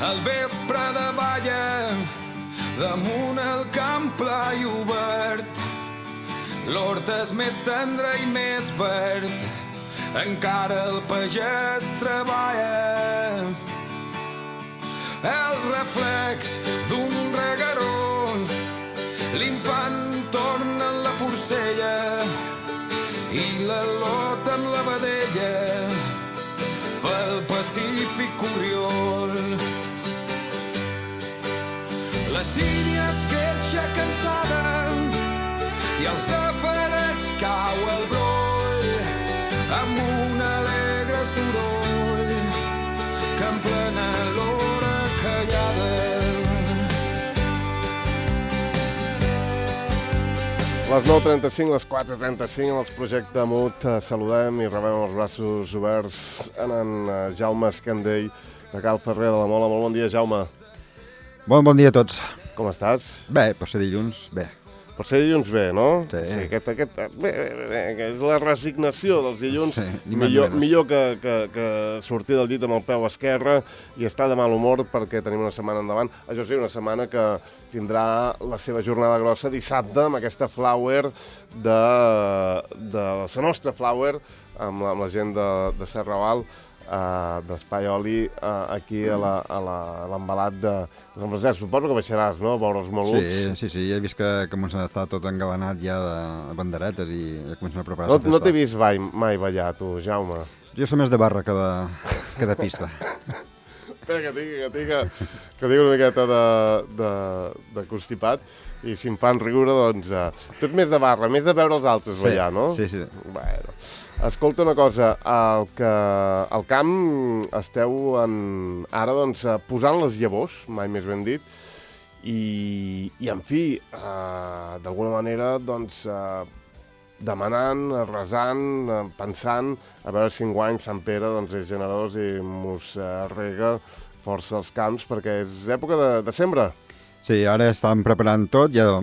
al vespre de balla, damunt el camp pla i obert. L'hort és més tendre i més verd, encara el pagès treballa. El reflex d'un regueró, l'infant torna en la porcella i la lota en la vedella pel Pacífic Oriol. La sínia es queixa cansada i al safareig cau el broll amb un alegre soroll que emplena l'hora callada. Les 9:35, les 4:35, en els Projecte Mut saludem i rebem els braços oberts en Jaume Escandell de Cal Ferrer de la Mola. Molt bon dia, Jaume. Bon dia a tots. Com estàs? Bé, per ser dilluns, bé. Per ser dilluns bé, no? Sí. Bé, és la resignació dels dilluns. Sí, millor que sortir del llit amb el peu esquerre i estar de mal humor perquè tenim una setmana endavant. Això sí, una setmana que tindrà la seva jornada grossa dissabte amb aquesta flower de la nostra flower amb la gent de Serraval, d'Espai Oli, aquí a l'embalat dels empresaris. Suposo que baixaràs, no?, a veure els malucs. Sí, he vist que comencen a estar tot engalanat ja de banderetes i ja comencen a preparar la festa. No t'he vist mai ballar, tu, Jaume. Jo soc més de barra que de pista. Espera, que tinc una miqueta de constipat i si em fan riure, doncs... Tu ets més de barra, més de veure els altres ballar, no? Sí. Bueno, escolta una cosa, al camp esteu ara, doncs, posant les llavors, mai més ben dit, i en fi, d'alguna manera, doncs, demanant, resant, pensant, a veure si enguany Sant Pere doncs, és generós i mos rega força als camps, perquè és època de sembra. Sí, ara estan preparant tot, ja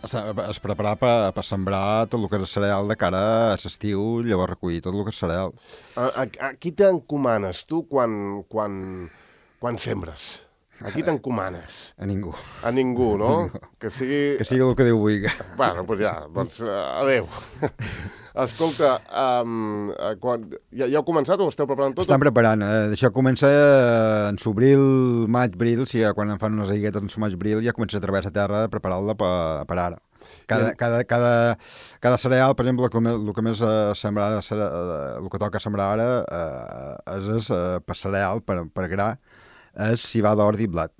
es prepara per sembrar tot el que és cereal de cara a l'estiu, llavors recollir tot el que és cereal. A qui t'encomanes tu quan sembres? A qui t'encomanes? A ningú. A ningú, no? Que sigui el que Déu vulgui. Bueno, doncs adéu. Escolta, ja heu començat o esteu preparant tot? Estan preparant. Això comença en s'obril, maig-bril, si quan en fan unes aiguetes en maig-bril ja comença a treballar la terra a preparar-la per ara. Cada cereal, per exemple, el que més sembrar ara, el que toca sembrar ara és per cereal, per gra, és civada, ordi i blat.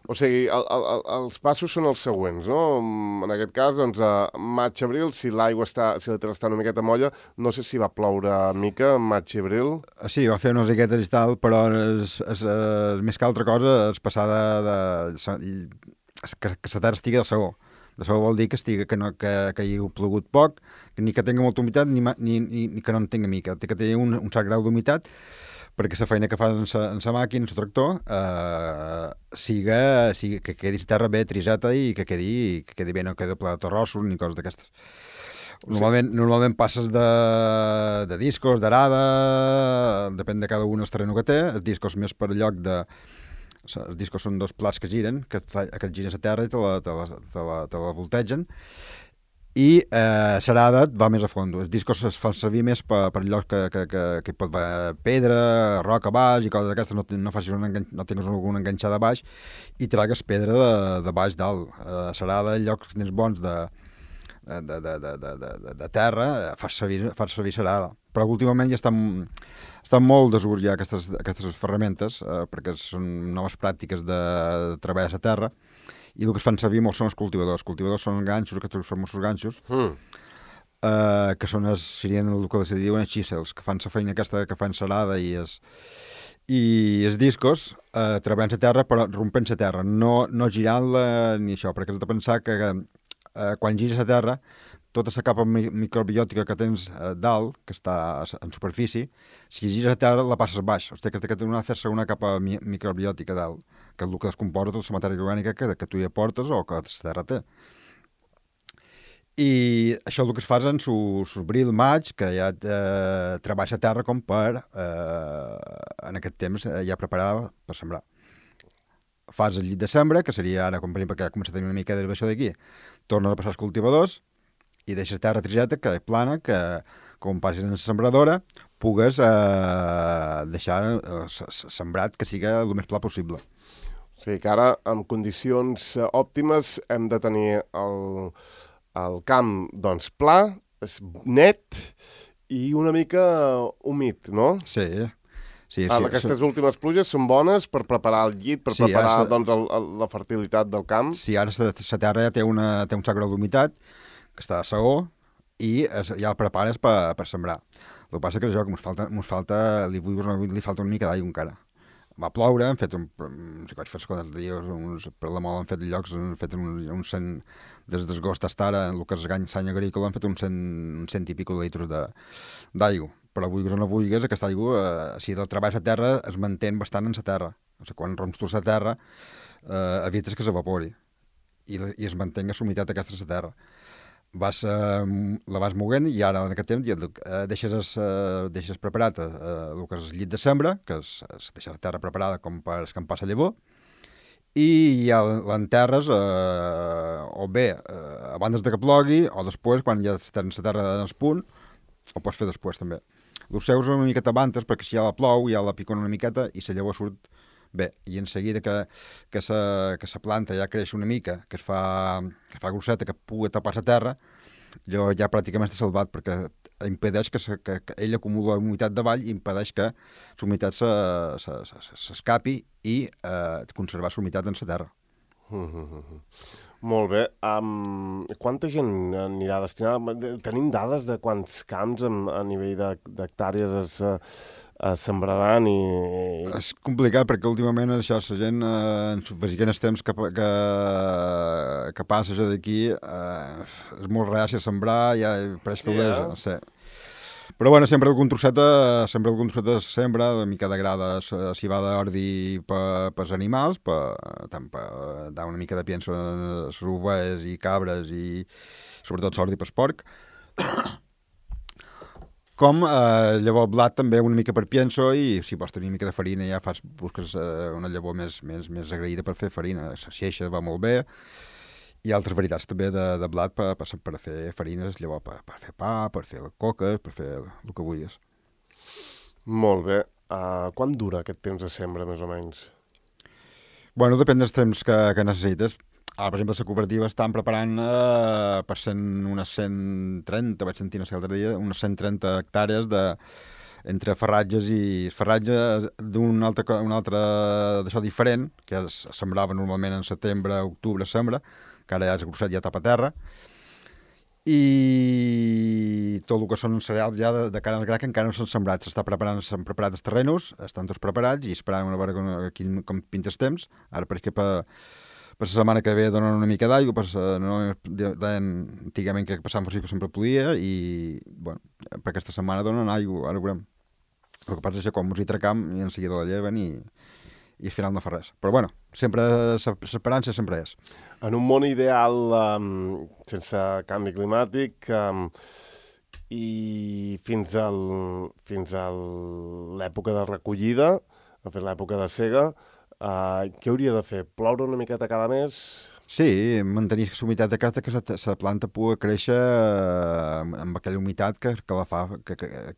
O sigui, els passos són els següents, no? En aquest cas, doncs, maig-abril, si la terra està una miqueta molla, no sé si va ploure mica maig-abril. Sí, va fer unes riquetes i tal, però més que altra cosa és passar que la terra estigui de segó. De segó vol dir que hi ha plogut poc, ni que tingui molta humitat, ni que no en tingui mica. Té que tenir un cert grau d'humitat, perquè la feina que fa en la màquina, en el tractor, que quedi la terra bé triseta i que quedi bé, no quedi ple de torrossos ni coses d'aquestes. Normalment passes de discos, d'arada, depèn de cada un el terreno que té. Els discos més per lloc de... Els discos són dos plats que giren, que et giren la terra i te la voltegen. I l'arada va més a fons. Els discos es fan servir més per llocs que pot haver pedra, roca baix i coses d'aquestes, no tinguis alguna enganxada baix i tragues pedra de baix dalt. L'arada, en llocs que tens bons de terra, fas servir l'arada. Però últimament ja estan molt desús ja aquestes ferramentes, perquè són noves pràctiques de treballar la terra. I el que es fan servir molt són els cultivadors. Els cultivadors són ganxos, aquests famosos ganxos, que serien el que se diuen els xíssels, que fan la feina aquesta que fan l'arada i els discos treballant la terra, però rompent la terra, no girant-la ni això, perquè has de pensar que quan giris la terra, tota la capa microbiòtica que tens dalt, que està en superfície, si giris la terra la passes baix. O sigui que té que fer-se una capa microbiòtica dalt, que és el que descomposa tota la matèria orgànica que tu hi aportes o que la terra té. I això el que es fa en l'abril, maig, que ja treballs a terra com per, en aquest temps, ja preparar per sembrar. Fas el llit de sembra, que seria ara, com per exemple, que ja comença a tenir una mica d'herbació d'aquí, tornes a passar els cultivadors i deixes terra triseta, que és plana, que com passis en la sembradora, pugues deixar sembrat que siga el més pla possible. O sigui que ara, en condicions òptimes, hem de tenir el camp, doncs, pla, net i una mica humit, no? Sí. Aquestes últimes pluges són bones per preparar el llit, per preparar doncs, la fertilitat del camp. Sí, ara la terra ja té un sac d'humitat, que està a segó, i ja el prepares per sembrar. El que passa que això, que ens falta, li falta una mica d'aigua encara. Va ploure, hem fet no sé què vaig fer els dies, per la mola han fet llocs, han fet uns 100, des d'agost fins ara, en el que és l'any agrícola, han fet uns 100 i pico de litres d'aigua. Però vulguis o no vulguis, aquesta aigua, si el treball a terra, es manté bastant en la terra. O sigui, quan rompes tu la terra, evites que s'evapori i es mantenga la humitat aquesta a la terra. La vas moguent i ara en aquest temps deixes preparat el que és el llit de sembra, que deixa la terra preparada com per escampar la llavor, i ja l'enterres o bé abans de que plogui o després, quan ja tens la terra en el punt, ho pots fer després també. Els seus una miqueta abantes, perquè si ja la plou, ja la picona una miqueta i la llavor surt bé, i en seguida que la planta ja creix una mica, que fa grosseta, que pugui tapar la terra, allò ja pràcticament està salvat, perquè impedeix que ell acumula humitat davall i impedeix que la humitat s'escapi i conservar la humitat en la terra. Molt bé. Quanta gent anirà destinada? Tenim dades de quants camps a nivell d'hectàrees es sembraran i... És complicat perquè últimament això, la gent, en els temps que passa això d'aquí, és molt reàcia a sembrar, ja pareix que ho sé. Però bueno, sempre algun trosset es sembra, una mica de grada s'hi va d'ordi per als animals, tant per dar una mica de pienso a les ovelles i cabres i sobretot s'ordi per porc. Com llavor blat també una mica per pienso i si vols tenir una mica de farina ja busques una llavor més agraïda per fer farina. La xeixa va molt bé i altres varietats també de blat per fer farines, llavors per fer pa, per fer coques, per fer el que vulguis. Molt bé. Quant dura aquest temps de sembra, més o menys? Bueno, depèn dels temps que necessites. Ara, per exemple, la cooperativa estan preparant per unes 130, vaig sentir l'altre dia, unes 130 hectàrees entre ferratges i ferratge d'un altre d'això diferent, que es sembrava normalment en setembre, octubre, sembra, que ara ja és grosset, ja tapa terra, i tot el que són cereals ja de cara al gra que encara no s'han sembrat. S'han preparat els terrenos, estan tots preparats i esperant a veure com pinta els temps. Ara pareix que per la setmana que ve donen una mica d'aigua, antigament que per Sant Francisco sempre ploia i bueno, per aquesta setmana donen aigua, ara veurem. El que passa és que quan mos hi tracam i en seguida la lleven i al final no fa res. Però bueno, sempre l'esperança sempre és. En un món ideal sense canvi climàtic i fins a l'època de recollida, l'època de sega, què hauria de fer? Ploure una miqueta cada mes? Sí, mantenir la humitat de casa, que la planta pugui créixer amb aquella humitat que la fa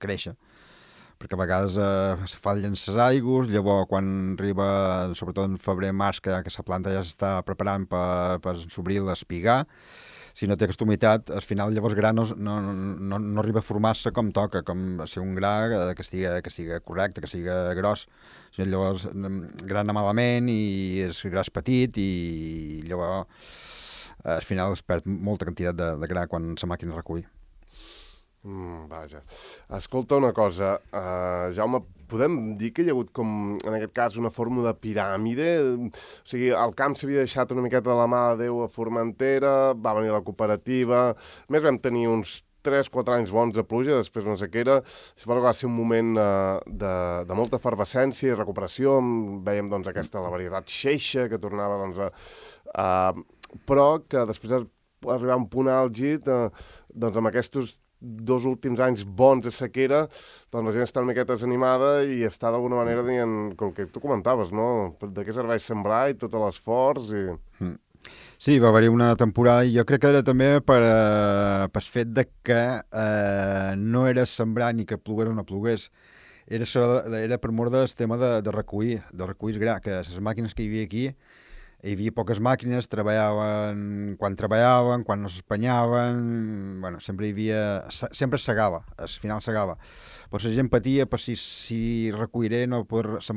créixer. Perquè a vegades fallen les aigües, llavors quan arriba, sobretot en febrer, març, que la planta ja s'està preparant per s'obrir l'espigar, si no té aquesta humitat, al final llavors gra no arriba a formar-se com toca, com ser un gra que siga correcte, que siga gros. Llavors grana malament i el gra és petit i llavors al final es perd molta quantitat de gra quan la màquina recull. Vaja. Escolta una cosa, Jaume, podem dir que hi ha hagut com, en aquest cas, una forma de piràmide? O sigui, el camp s'havia deixat una miqueta de la mà de Déu a Formentera, va venir la cooperativa, més vam tenir uns 3-4 anys bons de pluja, després una sequera, va ser un moment de molta efervescència i recuperació, vèiem doncs, la varietat xeixa que tornava però que després arribar a un punt àlgid, doncs amb aquests 2 últims anys bons de sequera, doncs la gent està una miqueta desanimada i està d'alguna manera dient, com que tu comentaves, no? De què serveix sembrar i tot l'esforç i... Sí, va haver-hi una temporada i jo crec que era també per fet de que no era sembrar ni que plogués o no plogués. Era per mort del tema de recollir gra, que les màquines que hi havia aquí, hi havia poques màquines, treballaven, quan no s'espanyaven, bueno, sempre segava, al final segava. Però la gent patia per si recolliré, la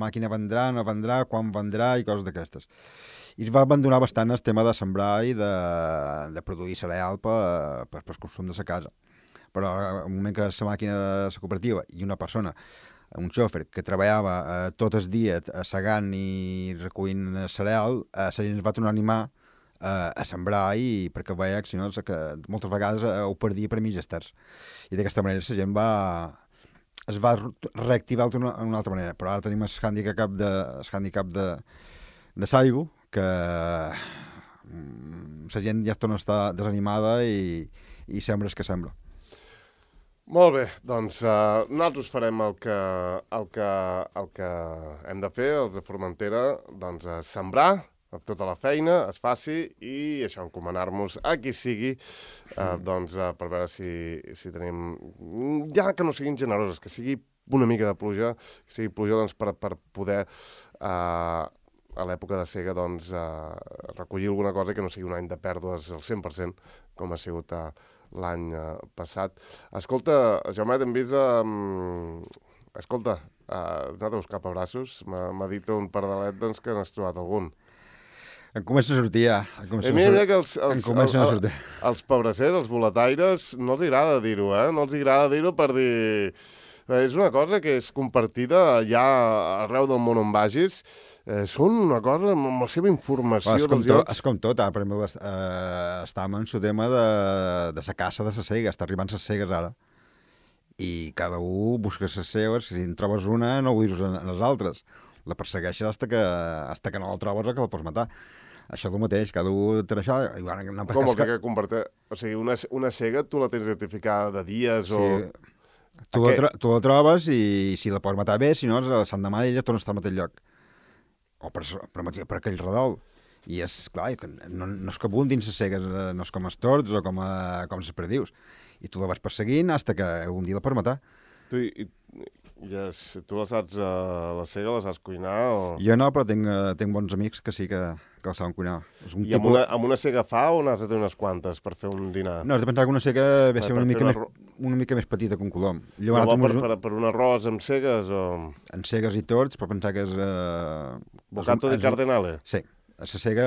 màquina vendrà, quan vendrà i coses d'aquestes. I es va abandonar bastant el tema de sembrar i de produir cereal per consum de la casa. Però al moment que la màquina de la cooperativa i una persona, un xòfer que treballava tot el dia segant i recollint cereal, la gent es va tornar a animar a sembrar perquè veia que, si no, que moltes vegades ho perdia per mitges terç. I d'aquesta manera la gent es va reactivar d'una altra manera. Però ara tenim el handicap de l'aigua, que la gent ja torna a estar desanimada i sembra el que sembla. Molt bé, doncs nosaltres farem el que hem de fer, els de Formentera, doncs sembrar tota la feina, es faci, i això, encomanar-nos a qui sigui, doncs per veure si tenim, ja que no siguin generoses, que sigui una mica de pluja, que sigui pluja doncs, per poder a l'època de sega doncs, recollir alguna cosa que no sigui un any de pèrdues al 100%, com ha sigut l'any passat. Escolta, Jaumet, hem vist... Escolta, has anat a buscar pebrassos? M'ha dit un pardalet doncs, que n'has trobat algun. Em comença a sortir ja. Mira que els pebrassers, els boletaires, no els agrada dir-ho, No els agrada dir-ho per dir... És una cosa que és compartida ja arreu del món on vagis. Són una cosa amb la seva informació dels llocs. És com tot, per exemple, estàvem en el tema de la caça de la sega, està arribant les cegues ara. I cada un busca les seves, si en trobes una no vull en les altres. La persegueixes fins que no la trobes o que la pots matar. Això és el mateix, cada un té això... Com el que compartir? O sigui, una cega tu la tens identificada de dies o... Tu la trobes i si la pots matar bé, si no, l'endemà ella torna a estar al mateix lloc. O per aquell redol. I és, clar, no és que abundin les cegues, no és com els tords o com les perdius. I tu la vas perseguint fins que un dia la pots matar. Tu la saps, la cega la saps cuinar? O... Jo no, però tinc bons amics que sí que la saben cuinar. I amb una cega fa o n'has de tenir unes quantes per fer un dinar? No, has de pensar que una cega ve ser una mica més petita que un colom. Per un arròs amb cegues o...? En cegues i tords, però pensar que és... Bocato di Cardinale? Sí. La cega,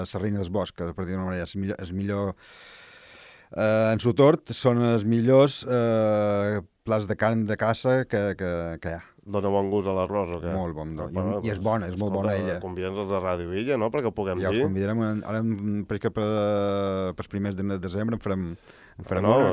la reina del bosc, per dir d'una manera, és millor... En su tort són els millors plats de carn de caça que hi ha. Dóna bon gust a l'arròs o què? Molt bon, i és bona, és molt bona ella. Convida'ns els de Ràdio Illa, no?, perquè ho puguem dir. Ja els convidarem, ara pels primers de desembre en farem una.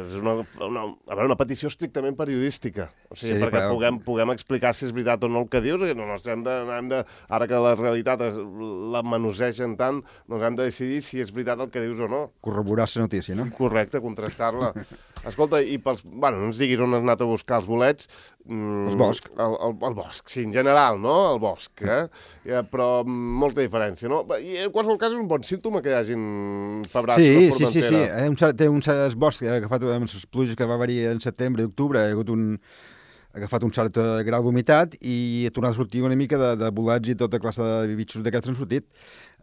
És una petició estrictament periodística, o sigui, sí, perquè puguem explicar si és veritat o no el que dius, ara que la realitat la manosegen tant, doncs hem de decidir si és veritat el que dius o no. Corroborar la notícia, no? Correcte, contrastar-la. Escolta, i no ens diguis on has anat a buscar els bolets. El bosc. El bosc, sí, en general, no? El bosc, però molta diferència, no? I en qualsevol cas és un bon símptoma que hi hagin pebrassos a Formentera. Sí. Té un bosc agafat amb les pluges que va haver-hi en setembre i octubre, ha agafat un cert grau d'humitat i ha tornat a sortir una mica de bolets i tota classe de bitxos d'aquests han sortit.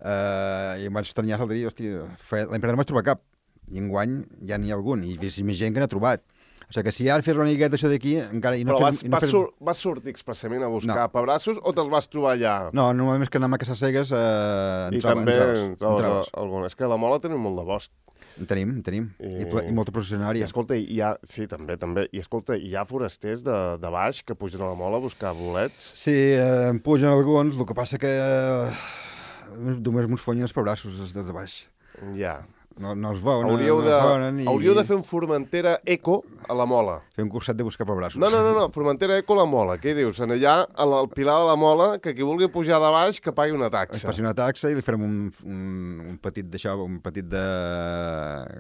I em vaig estranyar l'altre dia, hòstia, l'any passat no vaig trobar cap. I enguany ja n'hi ha algun, i és més gent que n'ha trobat. O sigui que si ara fes una miqueta això d'aquí... Vas sortir expressament a buscar pebrassos o te'ls vas trobar allà? No, normalment és que anem a caçar cegues i també en trobes algun. És que a la Mola tenim molt de bosc. En tenim. I molta processionària. Escolta, sí, també. I escolta, hi ha forasters de baix que pugen a la Mola a buscar bolets? Sí, en pugen alguns, el que passa que només mos fonyen els pebrassos des de baix. Ja. No es veuen. Hauríeu de fer un Formentera Eco a la Mola. Fer un curset de buscar pebrassos. No, Formentera Eco a la Mola. Què dius? En allà, al Pilar de la Mola, que qui vulgui pujar de baix, que pagui una taxa. Es passi una taxa i li farem un petit d'això, un petit de...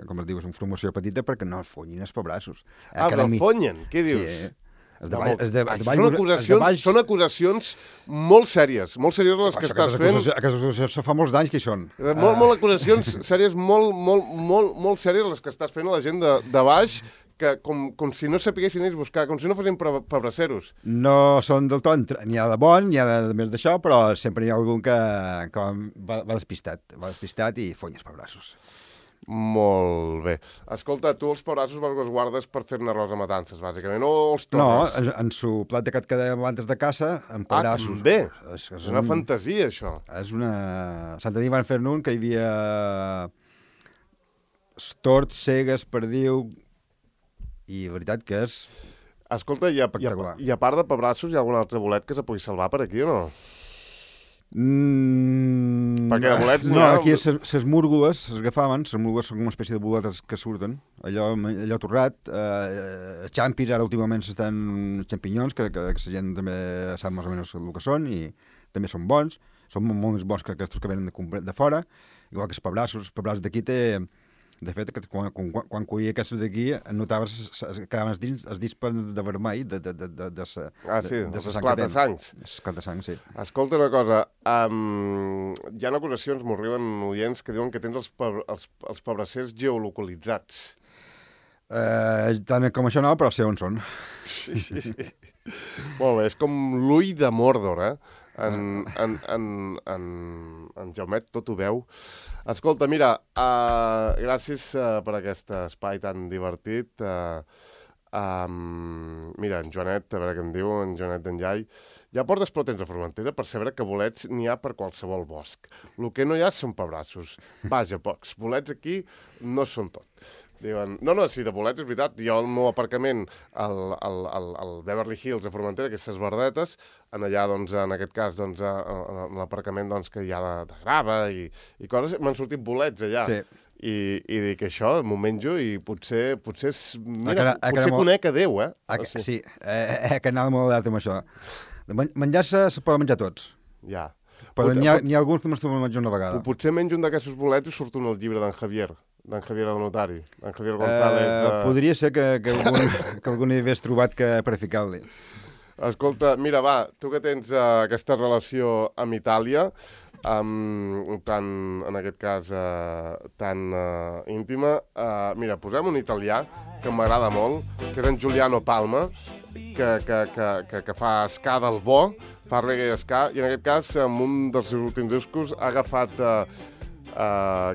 Com es diu? Una formació petita perquè no es fonyin els pebrassos. Però el fonyen? Què dius? Sí, Són acusacions molt sèries les que estàs fent. Aquestes fa molts d'anys que hi són. Molt acusacions sèries, molt sèries les que estàs fent a la gent de baix, que com si no sapiguessin ells buscar, com si no fossin pebrasseros. No són del tot, n'hi ha de bon, n'hi ha de més d'això, però sempre hi ha algun que va despistat i fonya els pebrassos. Molt bé. Escolta, tu els pebrassos els guardes per fer-ne arròs a matances, bàsicament, o els tornes? No, en su plat de antes de caça, amb pebrassos. També? És una fantasia, això. És una... Sant Denis van fer-ne un que hi havia tort, cegues, perdiu, i la veritat que és... Escolta, i a part de pebrassos, hi ha algun altre bolet que se pugui salvar per aquí o no? Perquè de bolets no, aquí les múrgoles s'agafaven, les múrgoles són una espècie de boletes que surten, allò torrat, xampis, ara últimament s'estan xampinyons, que la gent també sap més o menys el que són, i també són bons, són molt més bons que aquests que venen de fora, igual que els pebrassos d'aquí té... De fet, quan cuia aquests d'aquí, notaves que quedaven els dits de vermell de esclat de sangs. Esclat de sang, sí. Escolta una cosa, hi ha acusacions, m'ho arriben oients, que diuen que tens els pebrassers geolocalitzats. Tant com això no, però sé on són. Sí. Molt bé, és com l'ull de Mordor, eh? En Jaumet tot ho veu. Escolta, mira, gràcies per aquest espai tan divertit. Mira, en Joanet, a veure què em diu, en Joanet d'Enllai. Hi ha portes però tens a Formentera per saber que bolets n'hi ha per qualsevol bosc. El que no hi ha són pebrassos. Vaja, pocs. Bolets aquí no són tot. Diuen, sí, de bolets és veritat. Jo al meu aparcament, al Beverly Hills de Formentera, aquestes verdetes, allà, doncs, en aquest cas, doncs, l'aparcament doncs, que hi ha de grava i coses, m'han sortit bolets allà. Sí. I dic, això, m'ho menjo i potser conec a Déu, eh? Sí, que anava molt alerta amb això. Menjar-se poden menjar tots. Ja. Però n'hi ha alguns que només te'l menjo una vegada. Potser menjo un d'aquests bolets i surto en el llibre d'en Javier el notari, d'en Javier González. Podria ser que algun hi hagués trobat per ficar-li. Escolta, mira, va, tu que tens aquesta relació amb Itàlia, en aquest cas tan íntima, mira, posem un italià que m'agrada molt, que és en Giuliano Palma, que fa ska del bo, fa reggae ska, i en aquest cas, en un dels seus últims discos, ha agafat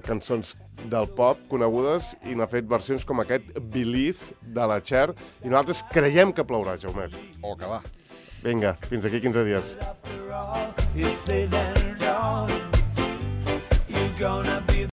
cançons del pop conegudes i n'ha fet versions com aquest Believe de la Cher, i nosaltres creiem que plourà, Jaumet. Que va. Vinga, fins aquí 15 dies.